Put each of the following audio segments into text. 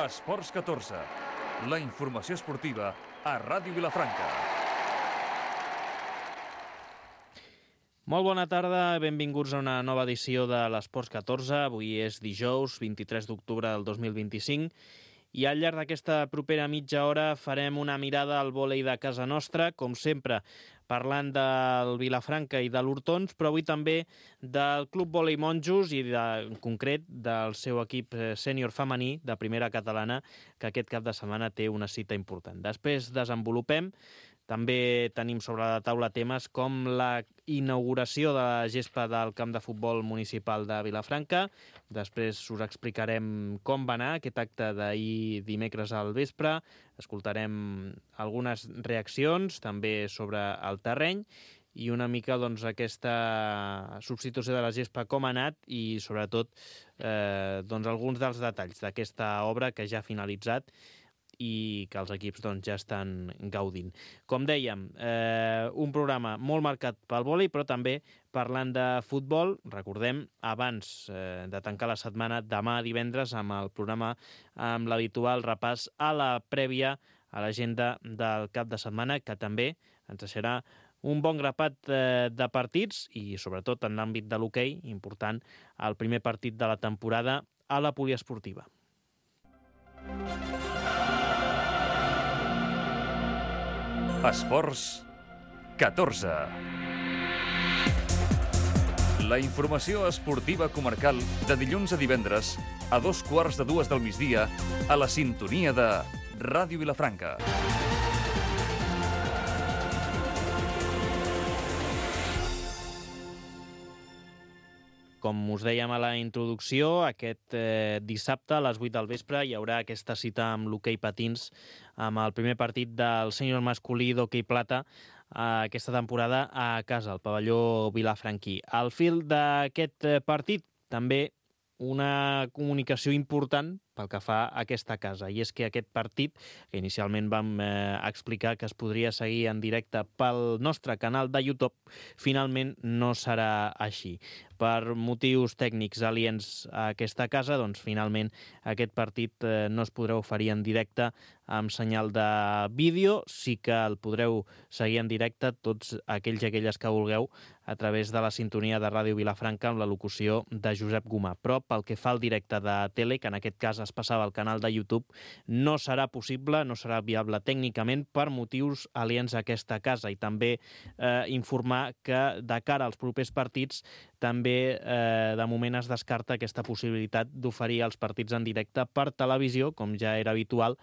Esports 14, la informació esportiva a Ràdio Vilafranca. Molt bona tarda, benvinguts a una nova edició de l'Esports 14. Avui és dijous, 23 d'octubre del 2025, i al llarg d'aquesta propera mitja hora farem una mirada al vòlei de casa nostra, com sempre, parlant del Vilafranca i de l'Hortons, però avui també del Club Vòlei Monjos i, en concret, del seu equip sènior femení de primera catalana, que aquest cap de setmana té una cita important. Després desenvolupem. També tenim sobre la taula temes com la inauguració de la gespa del camp de futbol municipal de Vilafranca. Després us explicarem com va anar aquest acte d'ahir dimecres al vespre. Escoltarem algunes reaccions també sobre el terreny i una mica aquesta substitució de la gespa com ha anat i sobretot alguns dels detalls d'aquesta obra que ja ha finalitzat i que els equips ja estan gaudint. Com dèiem, un programa molt marcat pel vòlei, però també parlant de futbol. Recordem, abans de tancar la setmana, demà divendres, amb el programa amb l'habitual repàs a la prèvia a l'agenda del cap de setmana, que també ens deixarà un bon grapat de partits i, sobretot, en l'àmbit de l'hoquei, important, el primer partit de la temporada a la poliesportiva. Esports 14. La informació esportiva comarcal de dilluns a divendres a 2:15 del migdia a la sintonia de Ràdio Vilafranca. Com us dèiem a la introducció, aquest dissabte a les 8 del vespre hi haurà aquesta cita amb l'hoquei patins, amb el primer partit del sènior masculí d'hoquei plata aquesta temporada a casa, al pavelló vilafranquí. Al fil d'aquest partit, també una comunicació important pel que fa a aquesta casa, i és que aquest partit, que inicialment vam explicar que es podria seguir en directe pel nostre canal de YouTube, finalment no serà així. Per motius tècnics aliens a aquesta casa, finalment aquest partit no es podrà oferir en directe amb senyal de vídeo. Sí que el podreu seguir en directe tots aquells i aquelles que vulgueu a través de la sintonia de Ràdio Vilafranca amb la locució de Josep Gomà. Però pel que fa al directe de tele, que en aquest cas es passava al canal de YouTube, no serà possible, no serà viable tècnicament per motius aliens a aquesta casa. I també informar que de cara als propers partits també de moment es descarta aquesta possibilitat d'oferir els partits en directe per televisió, com ja era habitual,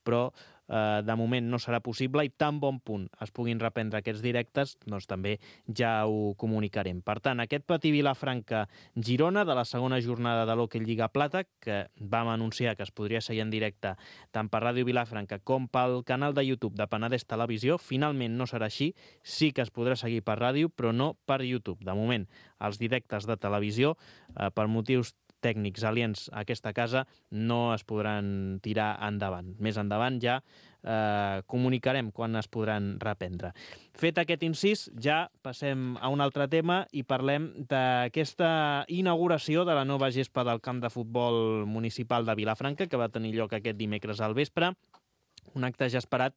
però de moment no serà possible i tan bon punt es puguin reprendre aquests directes, també ja ho comunicarem. Per tant, aquest Patí Vilafranca-Girona de la segona jornada de l'Hockey Lliga Plata, que vam anunciar que es podria seguir en directe tant per Ràdio Vilafranca com pel canal de YouTube de Penedès Televisió, finalment no serà així. Sí que es podrà seguir per ràdio, però no per YouTube. De moment, els directes de televisió, per motius tècnics aliens a aquesta casa, no es podran tirar endavant. Més endavant ja comunicarem quan es podran reprendre. Fet aquest incís, ja passem a un altre tema i parlem d'aquesta inauguració de la nova gespa del camp de futbol municipal de Vilafranca, que va tenir lloc aquest dimecres al vespre. Un acte ja esperat,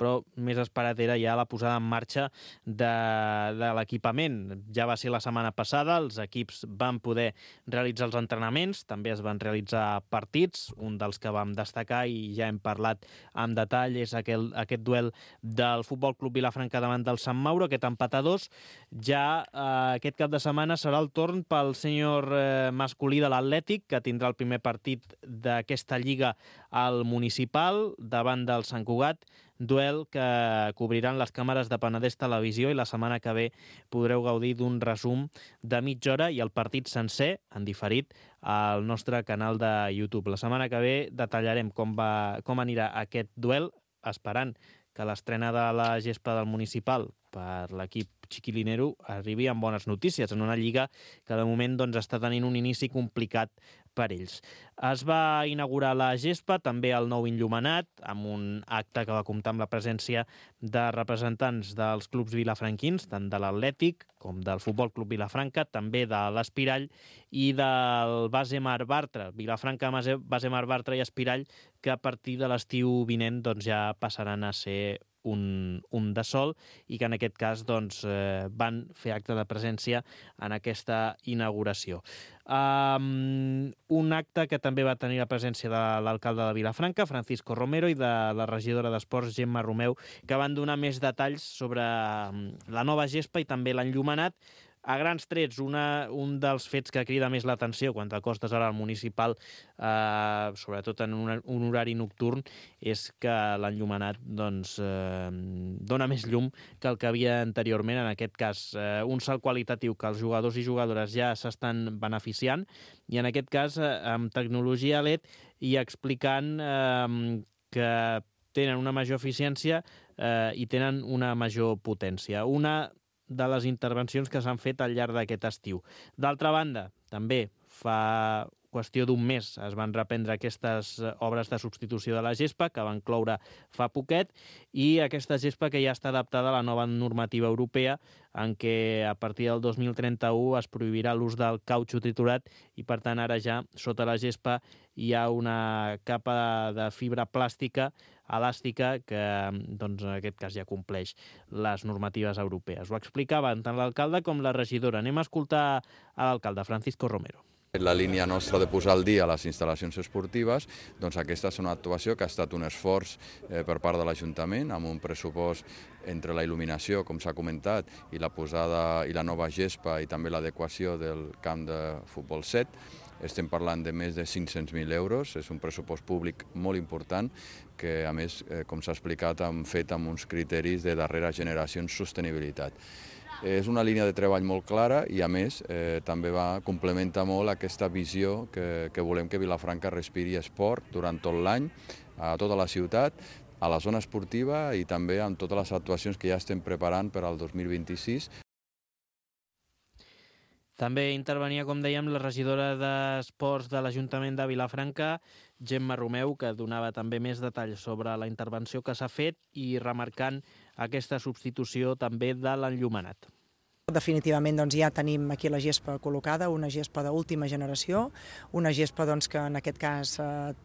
però més esperat era ja la posada en marxa de l'equipament. Ja va ser la setmana passada, els equips van poder realitzar els entrenaments, també es van realitzar partits, un dels que vam destacar i ja hem parlat amb detall és aquest duel del Futbol Club Vilafranca davant del Sant Mauro, aquest empat a 2. Ja aquest cap de setmana serà el torn pel sènior masculí de l'Atlètic, que tindrà el primer partit d'aquesta lliga al municipal davant del Sant Cugat, duel que cobriran les càmeres de Penedès Televisió i la setmana que ve podreu gaudir d'un resum de mitja hora i el partit sencer, en diferit, al nostre canal de YouTube. La setmana que ve detallarem com anirà aquest duel, esperant que l'estrena de la gespa del municipal per l'equip chiquilinero arribi amb bones notícies en una lliga que de moment està tenint un inici complicat per ells. Es va inaugurar la gespa, també el nou enllumenat, amb un acte que va comptar amb la presència de representants dels clubs vilafranquins, tant de l'Atlètic com del Futbol Club Vilafranca, també de l'Espirall i del Base Mar Bartra. Vilafranca, Base Mar Bartra i Espirall que a partir de l'estiu vinent doncs, ja passaran a ser un de sol i que en aquest cas doncs, van fer acte de presència en aquesta inauguració. Un acte que també va tenir la presència de l'alcalde de Vilafranca, Francisco Romero, i de la regidora d'Esports, Gemma Romeu, que van donar més detalls sobre la nova gespa i també l'enllumenat. A grans trets, un dels fets que crida més l'atenció quan t'acostes ara al municipal, sobretot en un horari nocturn, és que l'enllumenat doncs, dona més llum que el que havia anteriorment. En aquest cas, un salt qualitatiu que els jugadors i jugadores ja s'estan beneficiant, i en aquest cas amb tecnologia LED i explicant que tenen una major eficiència i tenen una major potència. Una de les intervencions que s'han fet al llarg d'aquest estiu. D'altra banda, també fa qüestió d'un mes es van reprendre aquestes obres de substitució de la gespa, que van cloure fa poquet, i aquesta gespa que ja està adaptada a la nova normativa europea, en què a partir del 2031 es prohibirà l'ús del cautxú triturat i, per tant, ara ja sota la gespa hi ha una capa de fibra plàstica elàstica que, doncs, en aquest cas, ja compleix les normatives europees. Ho explicaven tant l'alcalde com la regidora. Anem a escoltar a l'alcalde, Francisco Romero. La línia nostra de posar al dia les instal·lacions esportives, doncs aquesta és una actuació que ha estat un esforç per part de l'Ajuntament, amb un pressupost entre la il·luminació, com s'ha comentat, i la posada i la nova gespa i també l'adequació del camp de futbol 7. Estem parlant de més de 500.000 euros, és un pressupost públic molt important que, a més, com s'ha explicat, han fet amb uns criteris de darrera generació en sostenibilitat. És una línia de treball molt clara i, a més, també complementa molt aquesta visió que volem que Vilafranca respiri esport durant tot l'any, a tota la ciutat, a la zona esportiva i també amb totes les actuacions que ja estem preparant per al 2026. També intervenia, com dèiem, la regidora d'Esports de l'Ajuntament de Vilafranca, Gemma Romeu, que donava també més detalls sobre la intervenció que s'ha fet i remarcant aquesta substitució també de l'enllumenat. Definitivament doncs, ja tenim aquí la gespa col·locada, una gespa d'última generació, una gespa doncs, que en aquest cas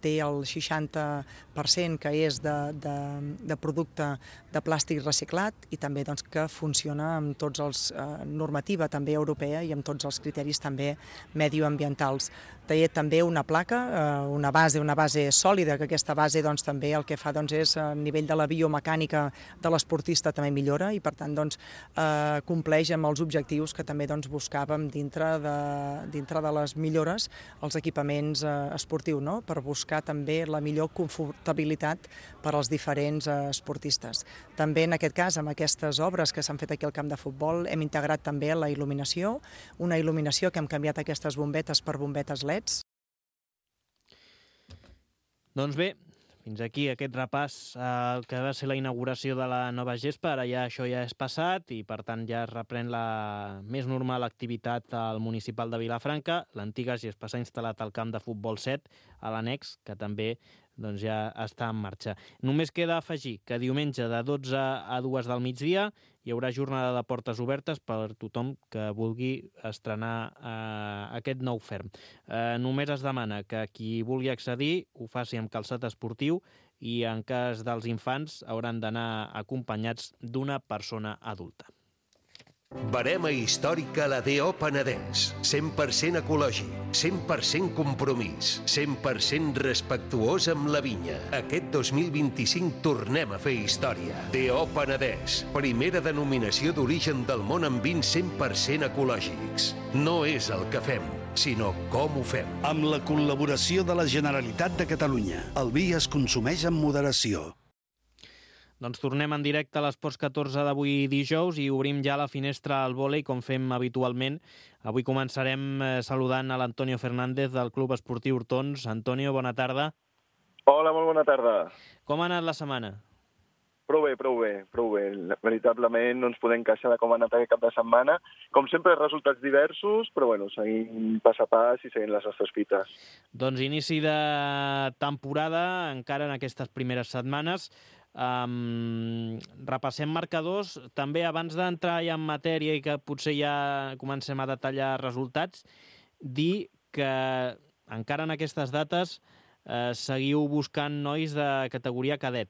té el 60% que és de producte de plàstic reciclat i també doncs, que funciona amb tots els normativa també europea i amb tots els criteris també medioambientals. Té també una placa, una base sòlida, que aquesta base doncs, també el que fa doncs, és a nivell de la biomecànica de l'esportista també millora i per tant doncs, compleix amb els objectius que també doncs, buscàvem dintre de les millores als equipaments esportius, no? Per buscar també la millor confortabilitat per als diferents esportistes. També en aquest cas, amb aquestes obres que s'han fet aquí al camp de futbol, hem integrat també la il·luminació, una il·luminació que hem canviat aquestes bombetes per bombetes LEDs. Doncs bé, fins aquí aquest repàs al que va ser la inauguració de la nova gespa. Ara ja això ja és passat i, per tant, ja es reprèn la més normal activitat al municipal de Vilafranca. L'antiga gespa s'ha instal·lat al camp de futbol 7, a l'annex, que també doncs, ja està en marxa. Només queda afegir que diumenge de 12 a 2 del migdia hi haurà jornada de portes obertes per tothom que vulgui estrenar aquest nou ferm. Només es demana que qui vulgui accedir ho faci amb calçat esportiu i en cas dels infants hauran d'anar acompanyats d'una persona adulta. Verema històrica la DO Penedès. 100% ecològic, 100% compromís, 100% respectuós amb la vinya. Aquest 2025 tornem a fer història. DO Penedès, primera denominació d'origen del món amb vins 100% ecològics. No és el que fem, sinó com ho fem. Amb la col·laboració de la Generalitat de Catalunya, el vi es consumeix amb moderació. Doncs tornem en directe a l'Esports 14 d'avui dijous i obrim ja la finestra al vòlei com fem habitualment. Avui començarem saludant a l'Antonio Fernández del Club Esportiu Hortons. Antonio, bona tarda. Hola, molt bona tarda. Com ha anat la setmana? Prou bé. Veritablement no ens podem queixar de com ha anat aquest cap de setmana. Com sempre, resultats diversos, però bueno, seguim pas a pas i seguint les nostres fites. Doncs inici de temporada, encara en aquestes primeres setmanes. Repassem marcadors. També abans d'entrar ja en matèria i que potser ja comencem a detallar resultats, dir que encara en aquestes dates seguiu buscant nois de categoria cadet.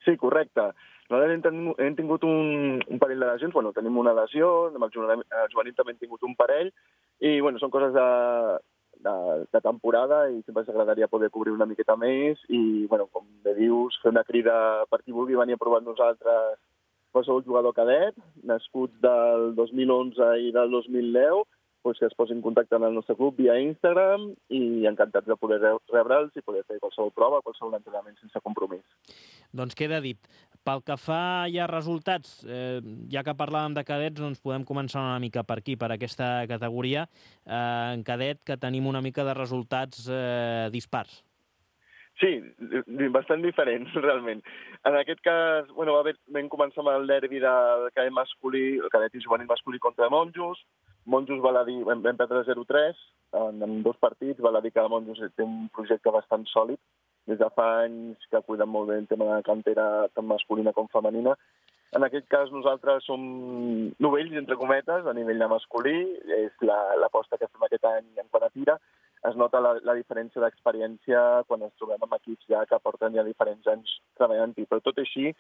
Sí, correcte. Nosaltres hem tingut un parell de lesions, tenim una lesió, amb el juvenil també hem tingut un parell, i són coses de temporada i sempre ens agradaria poder cobrir una miqueta més i, com bé dius, fer una crida per qui vulgui venir a provar amb nosaltres qualsevol jugador cadet, nascuts del 2011 i del 2010, que es posin en contacte amb el nostre club via Instagram i encantats de poder rebre'ls i poder fer qualsevol prova, qualsevol entrenament sense compromís. Doncs queda dit. Pel que fa ja a resultats, ja que parlàvem de cadets, doncs podem començar una mica per aquí, per aquesta categoria. En cadet que tenim una mica de resultats dispars. Sí, bastant diferents, realment. En aquest cas, vam començar amb el derbi del cadet masculí, el cadet i juvenil masculí contra Monjos. Monjos vam perdre 0-3 en 2 partits. Val a dir que Monjos té un projecte bastant sòlid. Des de fa anys que cuiden molt bé el tema de la cantera tant masculina com femenina. En aquest cas nosaltres som novells, entre cometes, a nivell de masculí. És l'aposta que fem aquest any en quant a tira. Es nota la diferència d'experiència quan ens trobem amb equips ja que porten ja diferents anys treballant-hi. Però tot així,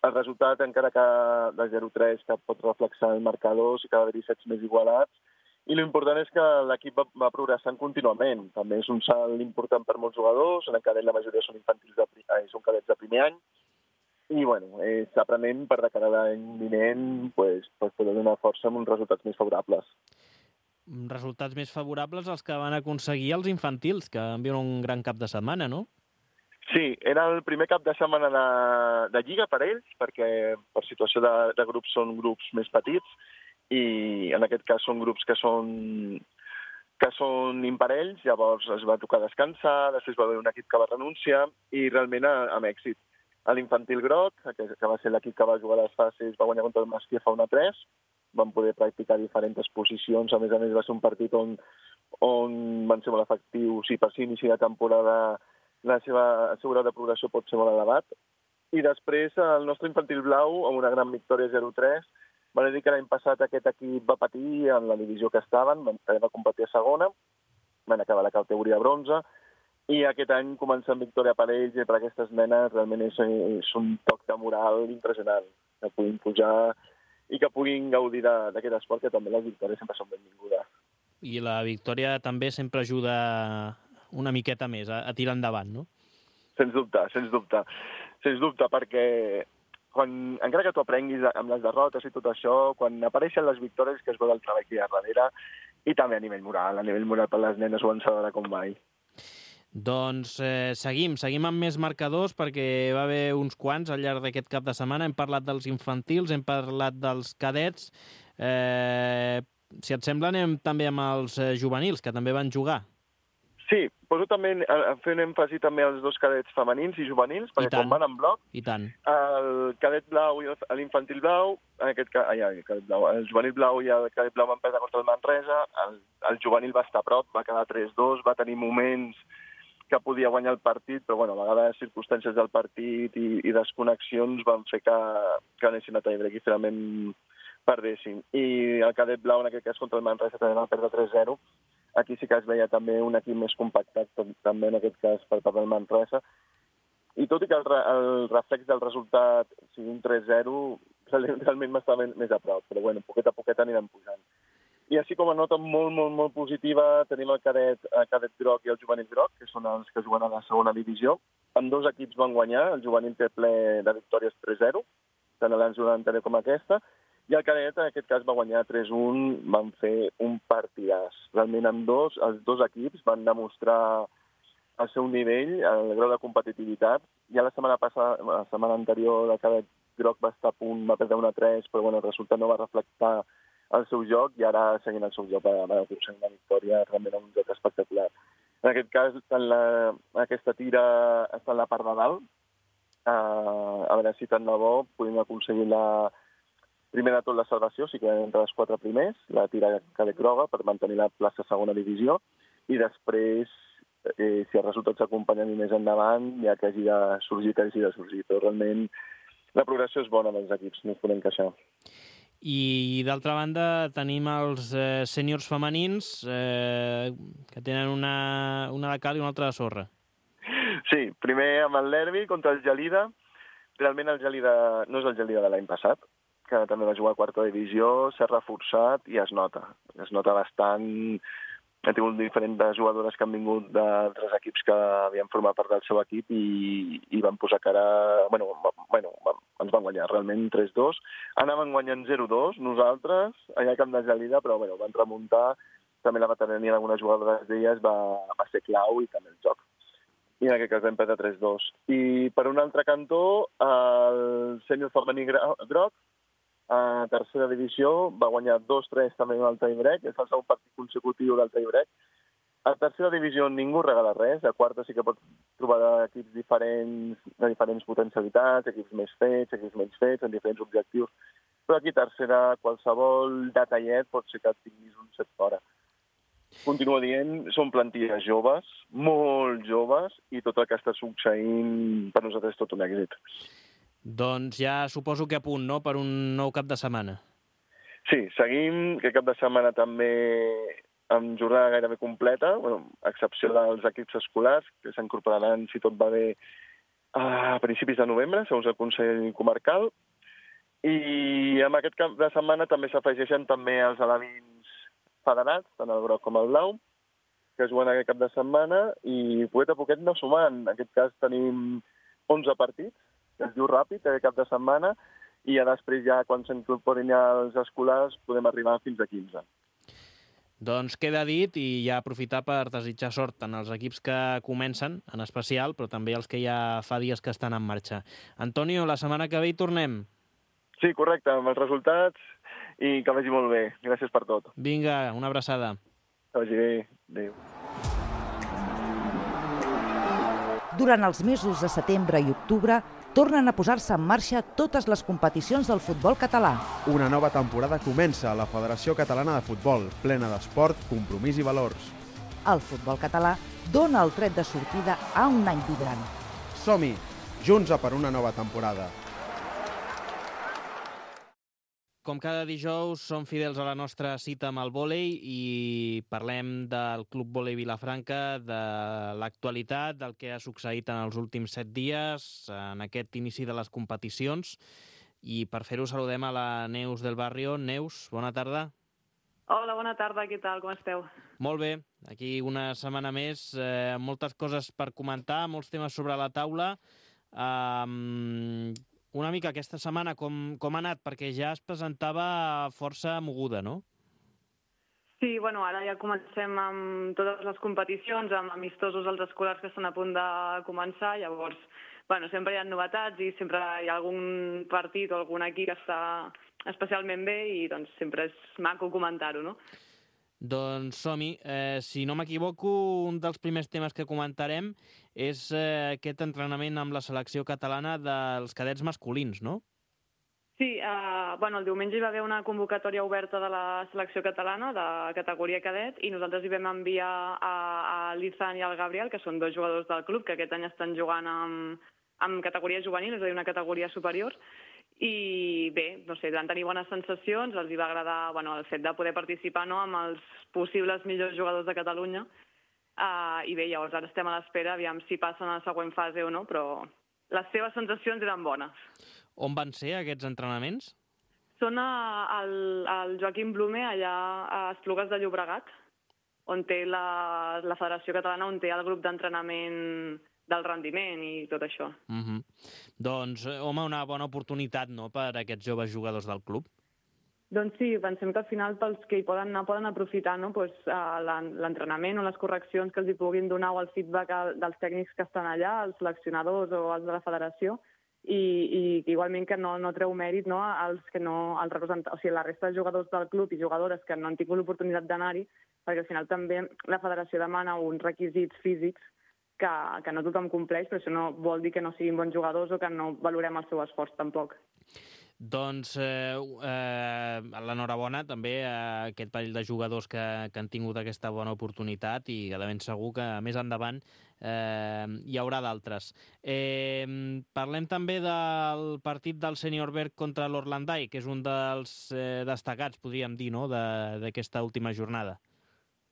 el resultat, encara que de 0-3, que pot reflexar el marcador, sí que va haver-hi sets més igualats. I l'important és que l'equip va progressant contínuament. També és un salt important per molts jugadors. En el cadet la majoria són són cadets de primer any. I, és aprenent per de cara a l'any vinent poder donar força amb uns resultats més favorables. Resultats més favorables els que van aconseguir els infantils, que van viure un gran cap de setmana, no? Sí, era el primer cap de setmana de Lliga per ells, perquè per situació de grups són grups més petits i en aquest cas són grups que són imparells, llavors es va tocar descansar, després va haver un equip que va renunciar i realment amb èxit. L'infantil groc, que va ser l'equip que va jugar a les fases, va guanyar contra el Masquia fa 1-3, van poder practicar diferents posicions, a més va ser un partit on van ser molt efectius i per si inici de temporada el seu grau de progressió pot ser molt elevat. I després el nostre infantil blau, amb una gran victòria 0-3, va dir que l'any passat aquest equip va patir en la divisió que estaven, va competir a segona, van acabar la categoria bronze, i aquest any començar amb victòria per ells i per aquestes nenes realment és un toc de moral impressionant, que puguin pujar i que puguin gaudir d'aquest esport, que també les victòries sempre són benvingudes. I la victòria també sempre ajuda una miqueta més a tirar endavant, no? Sens dubte, perquè encara que tu aprenguis amb les derrotes i tot això, quan apareixen les victòries que es veu el treball que hi ha darrere i també a nivell moral per les nenes ho encedarà com mai. Doncs seguim amb més marcadors perquè va haver uns quants al llarg d'aquest cap de setmana. Hem parlat dels infantils, hem parlat dels cadets. Si et sembla, anem també amb els juvenils, que també van jugar. Sí, poso també fent èmfasi també als 2 cadets femenins i juvenils, perquè quan van en bloc, el cadet blau i l'infantil blau, el juvenil blau i el cadet blau van perdre contra el Manresa, el juvenil va estar a prop, va quedar 3-2, va tenir moments que podia guanyar el partit, però a vegades circumstàncies del partit i desconnexions van fer que anessin a tie-break i finalment perdessin. I el cadet blau, en aquest cas contra el Manresa, també va perdre 3-0. Aquí sí que es veia també un equip més compactat, també en aquest cas per part del Manresa. I tot i que el reflex del resultat sigui un 3-0, realment m'estava més a prop, però poquet a poquet anirem pujant. I així com a nota molt positiva tenim el cadet groc i el juvenil groc, que són els que juguen a la segona divisió. Ambdós equips van guanyar, el juvenil té ple de victòries 3-0, tant a l'any anterior com aquesta, i el cadet, en aquest cas, va guanyar 3-1, van fer un partidàs. Realment els dos equips van demostrar el seu nivell, el grau de competitivitat. Ja la setmana anterior, el cadet groc va estar a punt, va perdre 1-3, però el resultat no va reflectar el seu joc i ara seguint el seu joc va aconseguir una victòria, realment un joc espectacular. En aquest cas, aquesta tira està en la part de dalt. A veure si tant de bo podem aconseguir primer de tot la salvació, si queden entre els 4 primers, la tira cadet groga per mantenir la plaça segona divisió, i després, si els resultats s'acompanyen més endavant, ja que hagi de sorgir, però realment la progressió és bona dels equips, no ens podem queixar. I d'altra banda tenim els sèniors femenins que tenen una de cal i una altra de sorra. Sí, primer amb el Nervi contra el Gelida. Realment el Gelida no és el Gelida de l'any passat, que també va jugar a quarta divisió, s'ha reforçat i es nota. Es nota bastant. Ha tingut diferents jugadores que han vingut d'altres equips que havien format part del seu equip i van posar cara... ens van guanyar realment 3-2. Anaven guanyant 0-2 nosaltres, allà al camp de Gelida, però van remuntar. També la veterania d'algunes jugadores d'elles va ser clau i també el joc. I en aquest cas vam perdre 3-2. I per un altre cantó, el sènior femení groc, a tercera divisió, va guanyar 2-3 també en el tie-break, és el segon partit consecutiu del tie-break. A tercera divisió ningú regala res, a quarta sí que pot trobar equips diferents, de diferents potencialitats, equips més fets, equips menys fets, amb diferents objectius. Però aquí tercera, qualsevol detallet pot ser que et tinguis un set fora. Continuo dient, són plantilles joves, molt joves, i tot el que està succeint per nosaltres és tot un èxit. Doncs ja suposo que a punt, no?, per un nou cap de setmana. Sí, seguim, que cap de setmana també amb jornada gairebé completa, a excepció dels equips escolars, que s'incorporaran, si tot va bé, a principis de novembre, segons el Consell Comarcal. I amb aquest cap de setmana també s'afegeixen també els alevins federats, tant el groc com el blau, que es juguen aquest cap de setmana, i poquet a poquet no sumant. En aquest cas tenim 11 partits, que es diu ràpid, aquest cap de setmana, i ja després, quan s'incorporin els escolars, podem arribar fins a 15. Doncs queda dit, i ja aprofitar per desitjar sort tant als equips que comencen, en especial, però també els que ja fa dies que estan en marxa. Antonio, la setmana que ve hi tornem. Sí, correcte, amb els resultats, i que vagi molt bé. Gràcies per tot. Vinga, una abraçada. Que vagi bé. Adéu. Durant els mesos de setembre i octubre tornen a posar-se en marxa totes les competicions del futbol català. Una nova temporada comença a la Federació Catalana de Futbol, plena d'esport, compromís i valors. El futbol català dona el tret de sortida a un any vibrant. Som-hi, junts a per una nova temporada. Com cada dijous, som fidels a la nostra cita amb el vòlei i parlem del Club Vòlei Vilafranca, de l'actualitat, del que ha succeït en els últims 7 dies, en aquest inici de les competicions. I per fer-ho saludem a la Neus del Barrio. Neus, bona tarda. Hola, bona tarda, què tal, com esteu? Molt bé, aquí una setmana més, moltes coses per comentar, molts temes sobre la taula. Una mica aquesta setmana com ha anat? Perquè ja es presentava força moguda, no? Sí, bueno, ara ja comencem amb totes les competicions, amb amistosos als escolars que estan a punt de començar, llavors, bueno, sempre hi ha novetats i sempre hi ha algun partit o algun equip que està especialment bé i doncs sempre és maco comentar-ho, no? Doncs som-hi. Si no m'equivoco, un dels primers temes que comentarem és aquest entrenament amb la selecció catalana dels cadets masculins, no? Sí, el diumenge hi va haver una convocatòria oberta de la selecció catalana de categoria cadet i nosaltres hi vam enviar a l'Izan i al Gabriel, que són 2 jugadors del club, que aquest any estan jugant amb categoria juvenil, és a dir, una categoria superior. I bé, no sé, van tenir bones sensacions, els hi va agradar el fet de poder participar amb els possibles millors jugadors de Catalunya. I bé, llavors ara estem a l'espera, aviam si passen a la següent fase o no, però les seves sensacions eren bones. On van ser aquests entrenaments? Són al Joaquim Blume, allà a Esplugues de Llobregat, on té la Federació Catalana, on té el grup d'entrenament del rendiment i tot això. Doncs, home, una bona oportunitat, no?, per a aquests joves jugadors del club. Doncs sí, pensem que al final pels que hi poden anar poden aprofitar l'entrenament o les correccions que els hi puguin donar o el feedback dels tècnics que estan allà, els seleccionadors o els de la federació, i igualment que no treu mèrit als que no, o sigui, la resta de jugadors del club i jugadores que no han tingut l'oportunitat d'anar-hi, perquè al final també la federació demana uns requisits físics que no tothom compleix, però això no vol dir que no siguin bons jugadors o que no valorem el seu esforç tampoc. Doncs l'enhorabona també a aquest parell de jugadors que han tingut aquesta bona oportunitat i de ben segur que més endavant hi haurà d'altres. Parlem també del partit del Sènior Berg contra l'Orlandai, que és un dels destacats, podríem dir, no?, d'aquesta última jornada.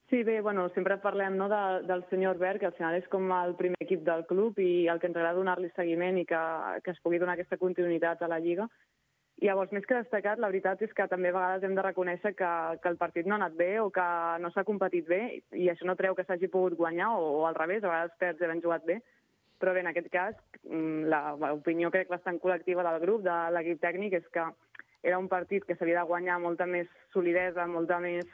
Sí, bé, sempre parlem del senyor Albert, que al final és com el primer equip del club i el que ens agrada donar-li seguiment i que es pugui donar aquesta continuïtat a la Lliga. I llavors, més que destacat, la veritat és que també a vegades hem de reconèixer que el partit no ha anat bé o que no s'ha competit bé, i això no treu que s'hagi pogut guanyar o al revés, a vegades perds havent jugat bé. Però bé, en aquest cas, l'opinió crec bastant col·lectiva del grup, de l'equip tècnic, és que era un partit que s'havia de guanyar molta més solidesa, molta més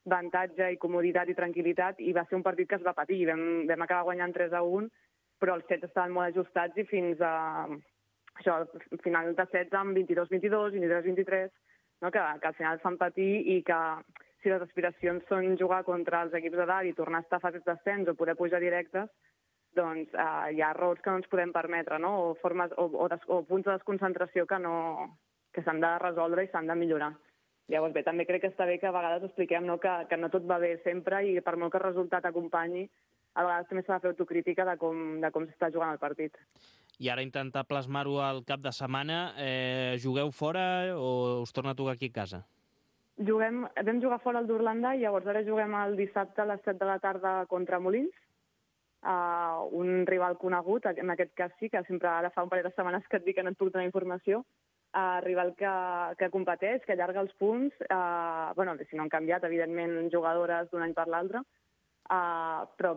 avantatge i comoditat i tranquil·litat, i va ser un partit que es va patir. Vam acabar guanyant 3-1, però els sets estaven molt ajustats i fins a al final de sets amb 22-22, 23-23, no? que al final fan patir, i que si les aspiracions són jugar contra els equips de dalt i tornar a estar a fases d'ascens o poder pujar directes, doncs hi ha errors que no ens podem permetre, no? o punts de desconcentració que s'han de resoldre i s'han de millorar. Llavors bé, també crec que està bé que a vegades expliquem que no tot va bé sempre, i per molt que el resultat acompanyi, a vegades també s'ha de fer autocrítica de com s'està jugant el partit. I ara intentar plasmar-ho al cap de setmana, jugueu fora o us torna a tocar aquí a casa? Vam jugar fora al d'Orlanda i llavors ara juguem el dissabte a les 7 de la tarda contra Molins, un rival conegut, en aquest cas sí, que sempre ara fa un parell de setmanes que et dic que no et puc donar informació, rival que competeix, que allarga els punts, si no han canviat, evidentment, jugadores d'un any per l'altre, però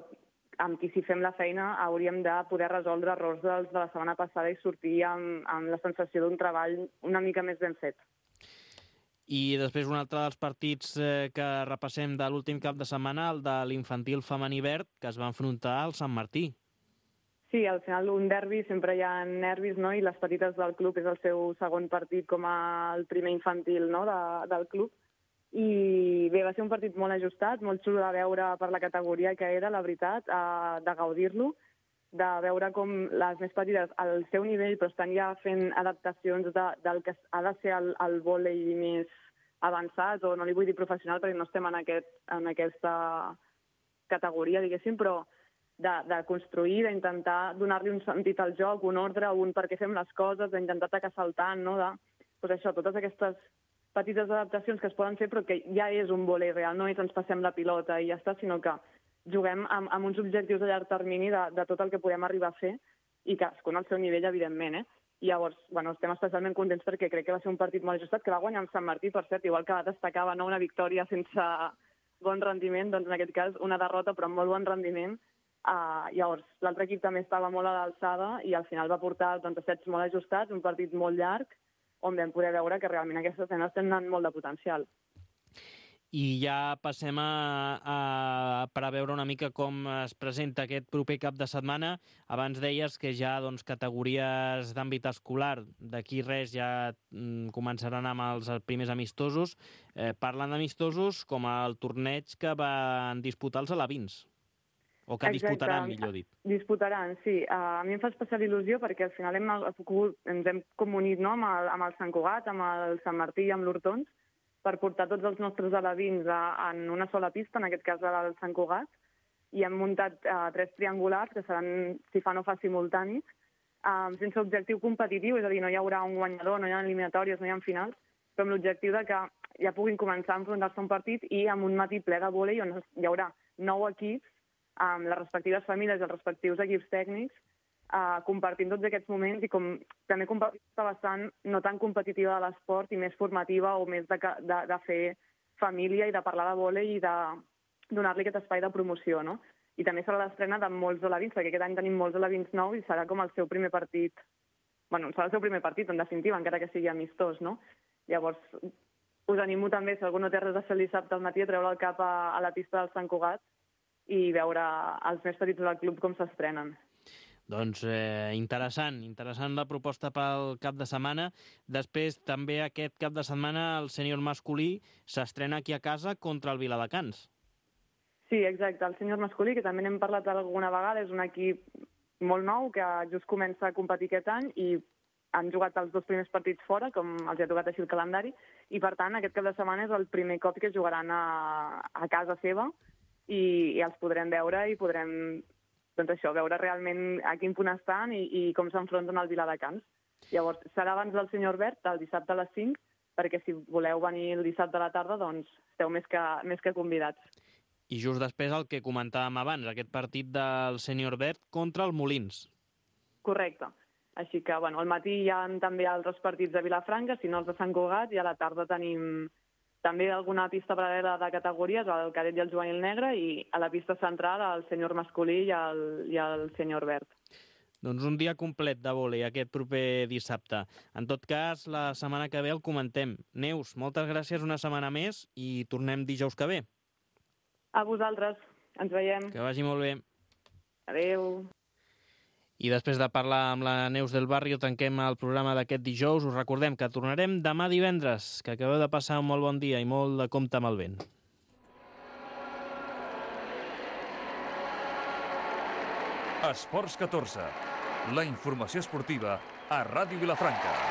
amb qui si fem la feina hauríem de poder resoldre errors de la setmana passada i sortir amb la sensació d'un treball una mica més ben fet. I després un altre dels partits que repassem de l'últim cap de setmana, el de l'infantil femení verd, que es va enfrontar al Sant Martí. Sí, al final un derbi sempre hi ha nervis, no? I les petites del club és el seu segon partit com el primer infantil, no? del club. I bé, va ser un partit molt ajustat, molt xulo de veure per la categoria que era, la veritat, de gaudir-lo, de veure com les més petites al seu nivell però estan ja fent adaptacions del que ha de ser el vòlei més avançat, o no li vull dir professional perquè no estem en aquesta categoria, diguéssim, però de construir, d'intentar donar-li un sentit al joc, un ordre, un per què fem les coses, d'intentar atacar saltant, no? Totes aquestes petites adaptacions que es poden fer, però que ja és un vòlei real, no és ens passem la pilota i ja està, sinó que juguem amb uns objectius a llarg termini de tot el que podem arribar a fer, i cadascun al seu nivell, evidentment, I llavors, estem especialment contents perquè crec que va ser un partit molt ajustat, que va guanyar amb Sant Martí, per cert, igual que destacava una victòria sense bon rendiment, doncs en aquest cas una derrota però amb molt bon rendiment. Llavors, l'altre equip també estava molt a l'alçada i al final va portar sets molt ajustats, un partit molt llarg, on vam poder veure que realment aquestes nenes tenen molt de potencial. I ja passem per a veure una mica com es presenta aquest proper cap de setmana. Abans deies que ja categories d'àmbit escolar, d'aquí res ja començaran amb els primers amistosos. Parlant d'amistosos, com el torneig que van disputar els alevins, o que disputaran, millor dit. Disputaran, sí. A mi em fa especial il·lusió perquè al final ens hem comunit amb el Sant Cugat, amb el Sant Martí i amb l'Hortons, per portar tots els nostres alevins en una sola pista, en aquest cas el Sant Cugat, i hem muntat 3 triangulars que seran, si fa no fa, simultanis, sense objectiu competitiu, és a dir, no hi haurà un guanyador, no hi ha eliminatòries, no hi ha finals, però amb l'objectiu de que ja puguin començar a enfrontar-se a un partit i amb un matí ple de vòlei on hi haurà 9 equips amb les respectives famílies i els respectius equips tècnics, compartint tots aquests moments i com també compartir la vessant no tan competitiva de l'esport i més formativa o més de fer família i de parlar de vòlei i de donar-li aquest espai de promoció, no? I també serà l'estrena de molts alevins, perquè aquest any tenim molts alevins nous i serà com el seu primer partit, serà el seu primer partit, en definitiva, encara que sigui amistós, no? Llavors, us animo també, si algú no té res a fer el dissabte al matí, a treure el cap a la pista del Sant Cugat i veure els més petits del club com s'estrenen. Doncs interessant la proposta pel cap de setmana. Després, també aquest cap de setmana, el sènior masculí s'estrena aquí a casa contra el Viladecans. Sí, exacte. El sènior masculí, que també n'hem parlat alguna vegada, és un equip molt nou que just comença a competir aquest any i han jugat els 2 primers partits fora, com els ha tocat així el calendari, i per tant aquest cap de setmana és el primer cop que jugaran a casa seva i els podrem veure i podrem veure realment a quin punt estan i com s'enfronten al Viladecans. Llavors, serà abans del senyor Verd, el dissabte a les 5, perquè si voleu venir el dissabte a la tarda, doncs esteu més que convidats. I just després el que comentàvem abans, aquest partit del sènior verd contra el Molins. Correcte. Així que, bueno, al matí hi ha també altres partits de Vilafranca, si no els de Sant Cugat, i a la tarda tenim també alguna pista paral·lela de categories, el cadet i el juvenil negre, i a la pista central el sènior masculí i el sènior verd. Doncs un dia complet de vòlei aquest proper dissabte. En tot cas, la setmana que ve el comentem. Neus, moltes gràcies una setmana més i tornem dijous que ve. A vosaltres. Ens veiem. Que vagi molt bé. Adéu. I després de parlar amb la Neus del Barrio, tanquem el programa d'aquest dijous. Us recordem que tornarem demà divendres, que acabeu de passar un molt bon dia i molt de compte amb el vent. Esports 14. La informació esportiva a Ràdio Vilafranca.